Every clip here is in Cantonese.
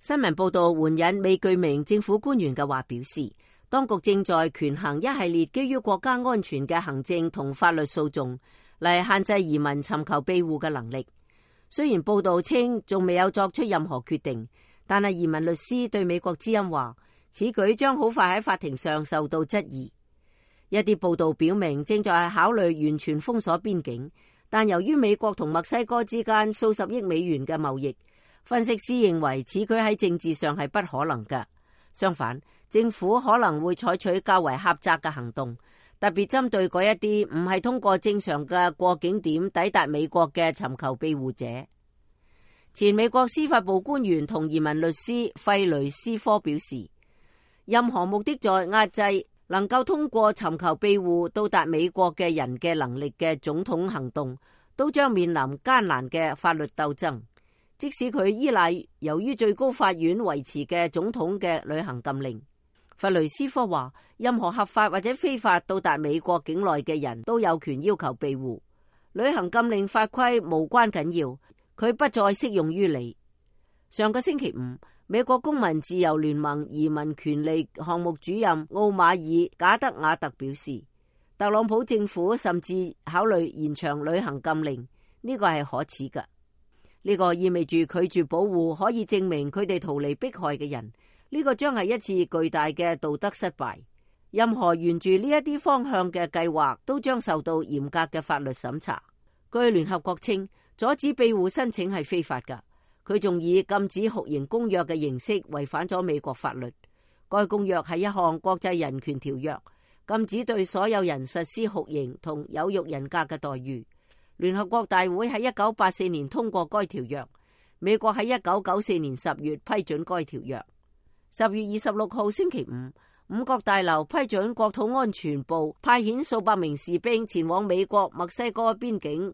新聞報道援引未具名政府官員嘅話表示，當局正在權衡一系列基於國家安全嘅行政同法律訴訟，嚟限制移民尋求庇護嘅能力。雖然報道稱仲未有作出任何決定，但係移民律師對美國之音話，此舉將好快喺法庭上受到質疑。一啲報道表明正在考慮完全封鎖邊境，但由於美國同墨西哥之間數十億美元嘅貿易，分析師認為此舉喺政治上係不可能嘅。相反，政府可能會採取較為狹窄嘅行動，特別針對嗰一啲唔係通過正常嘅過境點抵達美國嘅尋求庇護者。前美國司法部官員同移民律師費雷斯科表示，任何目的在壓制能夠通過尋求庇護到達美國嘅人嘅能力嘅總統行動，都將面臨艱難嘅法律鬥爭。即使佢依賴由於最高法院維持嘅總統嘅旅行禁令。弗雷斯科話，任何合法或者非法到達美國境內嘅人都有權要求庇護。旅行禁令法規無關緊要，佢不再適用於你。上個星期五，美國公民自由聯盟移民權利項目主任奧馬爾·賈德瓦特表示，特朗普政府甚至考慮延長旅行禁令，呢個係可恥嘅。呢個意味住拒絕保護可以證明佢哋逃離迫害嘅人，呢個將係一次巨大嘅道德失敗。任何沿住呢一啲方向嘅計劃都將受到嚴格嘅法律審查。據聯合國稱，阻止庇護申請係非法㗎。佢仲以禁止酷刑公約嘅形式違反咗美國法律。該公約係一項國際人權條約，禁止對所有人實施酷刑同有辱人格嘅待遇。聯合國大會喺1984年通過該條約，美國喺1994年10月批准該條約。10月26號星期五，五角大樓批准國土安全部派遣數百名士兵前往美國墨西哥邊境，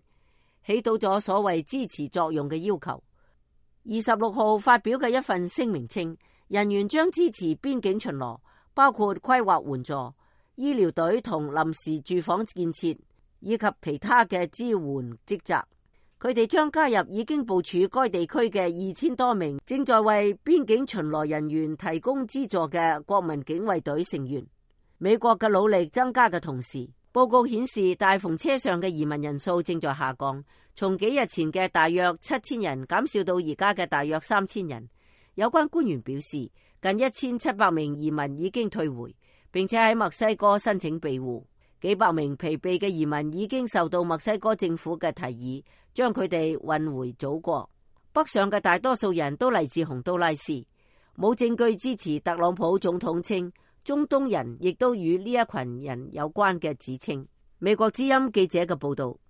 起到咗所謂支持作用嘅要求。26號發表嘅一份聲明稱，人員將支持邊境巡邏，包括規劃援助、醫療隊同臨時住房建設，以及其他嘅支援職責。佢哋將加入已經部署該地區嘅2000多名正在為邊境巡邏人員提供資助嘅國民警衛隊成員。美國嘅努力增加嘅同時，報告顯示大篷車上嘅移民人數正在下降，從幾日前嘅大約7000人減少到而家嘅大約3000人。有關官員表示，近1700名移民已經退回，並且喺墨西哥申請庇護。幾百名疲憊嘅移民已經受到墨西哥政府嘅提議，將佢哋運回祖國。北上嘅大多數人都嚟自洪都拉斯，冇證據支持特朗普總統稱中東人亦都與呢一群人有關嘅指稱。美國之音記者嘅報道。